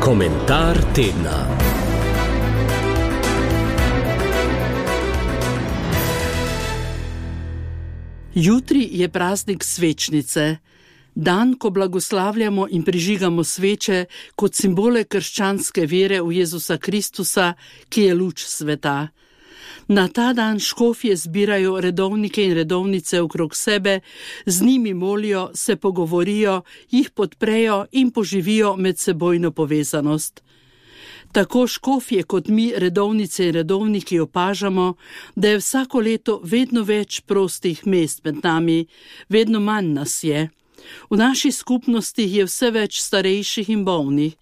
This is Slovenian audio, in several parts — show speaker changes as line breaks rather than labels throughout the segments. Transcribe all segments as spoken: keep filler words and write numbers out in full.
Komentar tedna.
Jutri je praznik svečnice, dan, ko blagoslavljamo in prižigamo sveče kot simbole krščanske vere v Jezusa Kristusa, ki je luč sveta. Na ta dan škofje zbirajo redovnike in redovnice okrog sebe, z njimi molijo, se pogovorijo, jih podprejo in poživijo medsebojno povezanost. Tako škofje kot mi, redovnice in redovniki, opažamo, da je vsako leto vedno več prostih mest med nami, vedno manj nas je. V naši skupnosti je vse več starejših in bolnih.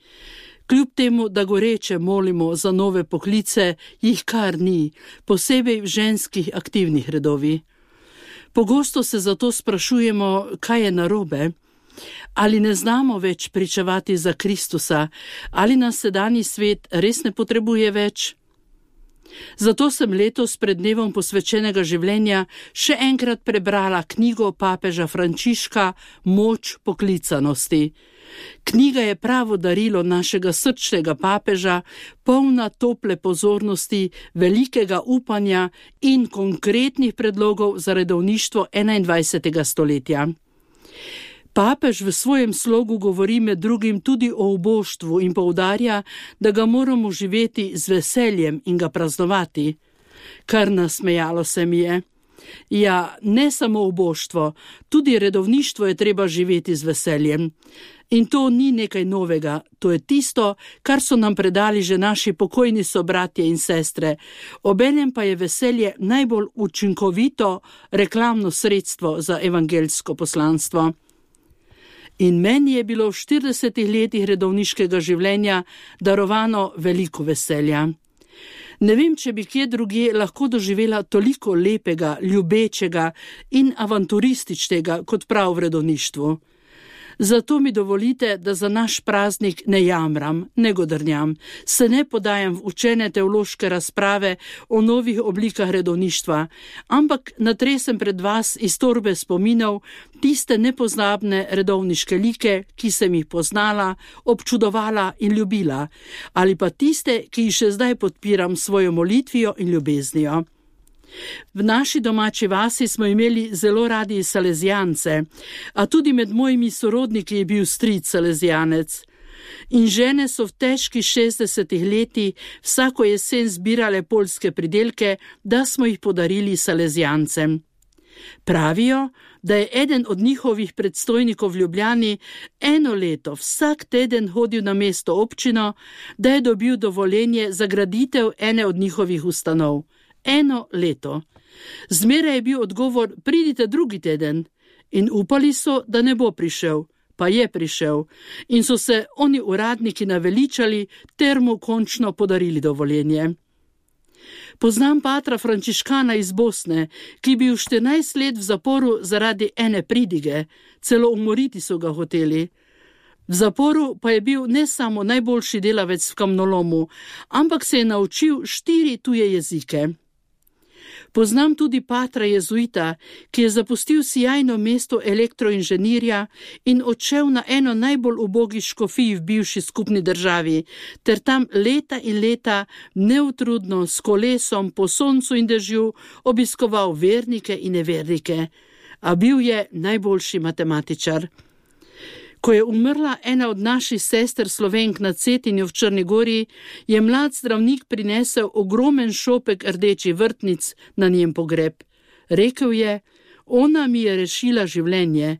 Kljub temu, da goreče molimo za nove poklice, jih kar ni, posebej v ženskih aktivnih redovih. Pogosto se zato sprašujemo, kaj je narobe. Ali ne znamo več pričevati za Kristusa, ali nas sedanji svet res ne potrebuje več? Zato sem letos pred dnevom posvečenega življenja še enkrat prebrala knjigo papeža Frančiška Moč poklicanosti. Knjiga je pravo darilo našega srčnega papeža, polna tople pozornosti, velikega upanja in konkretnih predlogov za redovništvo enaindvajsetega stoletja. Papež v svojem slogu govori med drugim tudi o uboštvu in poudarja, da ga moramo živeti z veseljem in ga praznovati. Kar nasmejalo se mi je. Ja, ne samo uboštvo, tudi redovništvo je treba živeti z veseljem. In to ni nekaj novega, to je tisto, kar so nam predali že naši pokojni sobratje in sestre. Obenem pa je veselje najbolj učinkovito reklamno sredstvo za evangeljsko poslanstvo. In meni je bilo v štiridesetih letih redovniškega življenja darovano veliko veselja. Ne vem, če bi kje drugje lahko doživela toliko lepega, ljubečega in avanturističnega kot prav v redovništvu. Zato mi dovolite, da za naš praznik ne jamram, ne godrnjam, se ne podajam v učene teološke razprave o novih oblikah redovništva, ampak natresem pred vas iz torbe spominov tiste nepozabne redovniške like, ki sem jih poznala, občudovala in ljubila, ali pa tiste, ki jih še zdaj podpiram svojo molitvijo in ljubeznijo. V naši domači vasi smo imeli zelo radi salezijance, a tudi med mojimi sorodniki je bil stric salezijanec. In žene so v težkih šestdesetih letih vsako jesen zbirale poljske pridelke, da smo jih podarili salezijancem. Pravijo, da je eden od njihovih predstojnikov v Ljubljani eno leto vsak teden hodil na mesto občino, da je dobil dovoljenje za graditev ene od njihovih ustanov. Eno leto. Zmeraj je bil odgovor, pridite drugi teden. In upali so, da ne bo prišel. Pa je prišel. In so se oni uradniki naveličali ter mu končno podarili dovoljenje. Poznam patra frančiškana iz Bosne, ki je bil štirinajst let v zaporu zaradi ene pridige, celo umoriti so ga hoteli. V zaporu pa je bil ne samo najboljši delavec v kamnolomu, ampak se je naučil štiri tuje jezike. Poznam tudi patra jezuita, ki je zapustil sijajno mesto elektroinženirja in odšel na eno najbolj ubogih škofij v bivši skupni državi, ter tam leta in leta neutrudno s kolesom po soncu in dežju obiskoval vernike in nevernike, a bil je najboljši matematičar. Ko je umrla ena od naših sester Slovenk na Cetinju v Črni Gori, je mlad zdravnik prinesel ogromen šopek rdečih vrtnic na njen pogreb. Rekel je, ona mi je rešila življenje.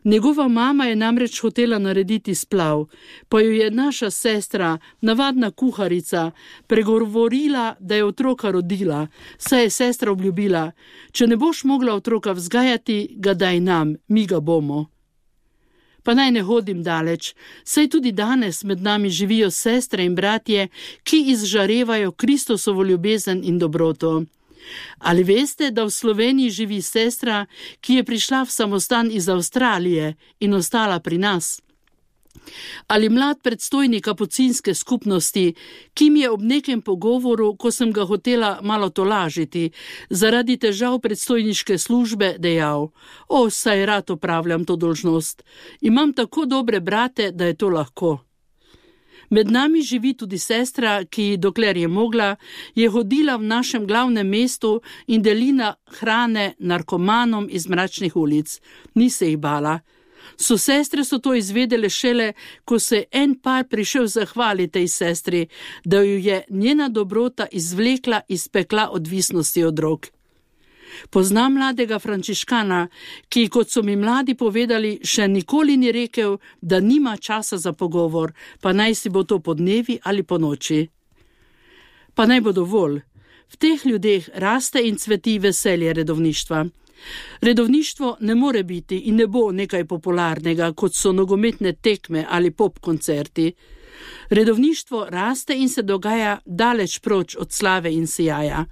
Njegova mama je namreč hotela narediti splav, pa jo je naša sestra, navadna kuharica, pregovorila, da je otroka rodila, saj je sestra obljubila, če ne boš mogla otroka vzgajati, ga daj nam, mi ga bomo. Pa naj ne hodim daleč, saj tudi danes med nami živijo sestre in bratje, ki izžarevajo Kristusovo ljubezen in dobroto. Ali veste, da v Sloveniji živi sestra, ki je prišla v samostan iz Avstralije in ostala pri nas? Ali mlad predstojnik kapucinske skupnosti, ki mi je ob nekem pogovoru, ko sem ga hotela malo tolažiti, zaradi težav predstojniške službe dejal, o, saj rad opravljam to dolžnost, imam tako dobre brate, da je to lahko. Med nami živi tudi sestra, ki, dokler je mogla, je hodila v našem glavnem mestu in delila hrane narkomanom iz mračnih ulic. Ni se jih bala. So sestre so to izvedele šele, ko se je en par prišel zahvaliti tej sestri, da jo je njena dobrota izvlekla iz pekla odvisnosti od drog. Poznam mladega frančiškana, ki, kot so mi mladi povedali, še nikoli ni rekel, da nima časa za pogovor, pa naj si bo to po dnevi ali po noči. Pa naj bo dovolj. V teh ljudeh raste in cveti veselje redovništva. Redovništvo ne more biti in ne bo nekaj popularnega, kot so nogometne tekme ali pop koncerti. Redovništvo raste in se dogaja daleč proč od slave in sijaja.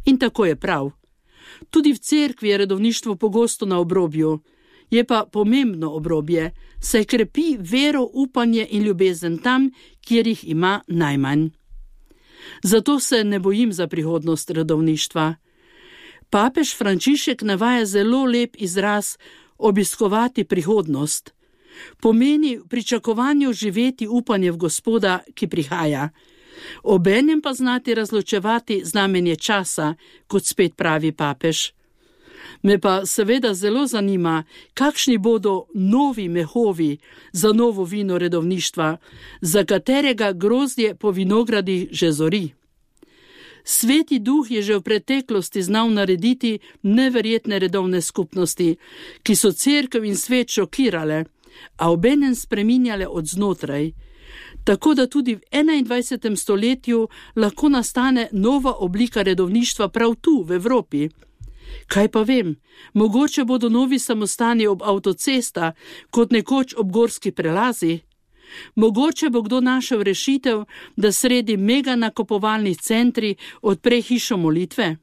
In tako je prav. Tudi v cerkvi je redovništvo pogosto na obrobju. Je pa pomembno obrobje, saj krepi vero, upanje in ljubezen tam, kjer jih ima najmanj. Zato se ne bojim za prihodnost redovništva. Papež Frančišek navaja zelo lep izraz obiskovati prihodnost. Pomeni v pričakovanju živeti upanje v Gospoda, ki prihaja. Obenem pa znati razločevati znamenje časa, kot spet pravi papež. Me pa seveda zelo zanima, kakšni bodo novi mehovi za novo vino redovništva, za katerega grozdje po vinogradih že zori. Sveti duh je že v preteklosti znal narediti neverjetne redovne skupnosti, ki so cerkev in svet šokirale, a obenem spreminjale od znotraj. Tako da tudi v enaindvajsetem stoletju lahko nastane nova oblika redovništva prav tu, v Evropi. Kaj pa vem, mogoče bodo novi samostani ob avtocesta, kot nekoč ob gorski prelazi. Mogoče bo kdo našel rešitev, da sredi mega nakupovalnih centri odpre hišo molitve.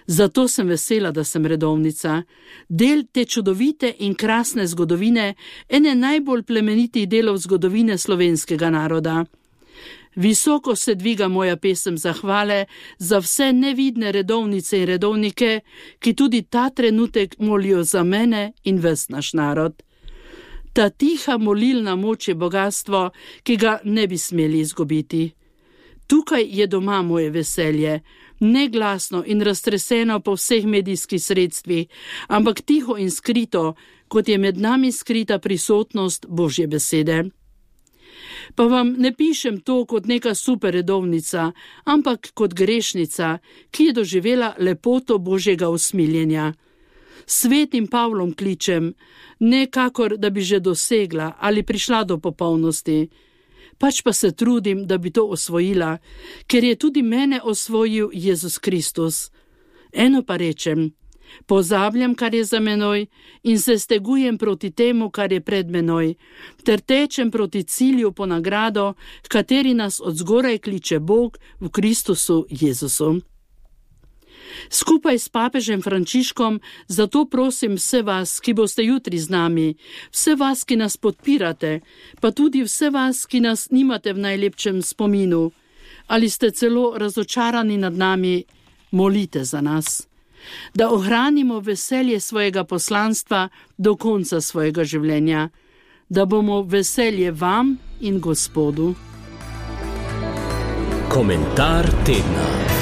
Zato sem vesela, da sem redovnica, del te čudovite in krasne zgodovine, ene najbolj plemenitih delov zgodovine slovenskega naroda. Visoko se dviga moja pesem zahvale za vse nevidne redovnice in redovnike, ki tudi ta trenutek molijo za mene in ves naš narod. Ta tiha molilna moč je bogatstvo, ki ga ne bi smeli izgubiti. Tukaj je doma moje veselje, neglasno in raztreseno po vseh medijskih sredstvih, ampak tiho in skrito, kot je med nami skrita prisotnost Božje besede. Pa vam ne pišem to kot neka super redovnica, ampak kot grešnica, ki je doživela lepoto Božjega usmiljenja. Svetim Pavlom kličem, ne kakor, da bi že dosegla ali prišla do popolnosti, pač pa se trudim, da bi to osvojila, ker je tudi mene osvojil Jezus Kristus. Eno pa rečem, pozabljam, kar je za menoj in se stegujem proti temu, kar je pred menoj, ter tečem proti cilju po nagrado, v kateri nas od zgoraj kliče Bog v Kristusu Jezusu. Skupaj s papežem Frančiškom zato prosim vse vas, ki boste jutri z nami, vse vas, ki nas podpirate, pa tudi vse vas, ki nas nimate v najlepšem spominu, ali ste celo razočarani nad nami, molite za nas, da ohranimo veselje svojega poslanstva do konca svojega življenja, da bomo veselje vam in Gospodu.
Komentar tedna.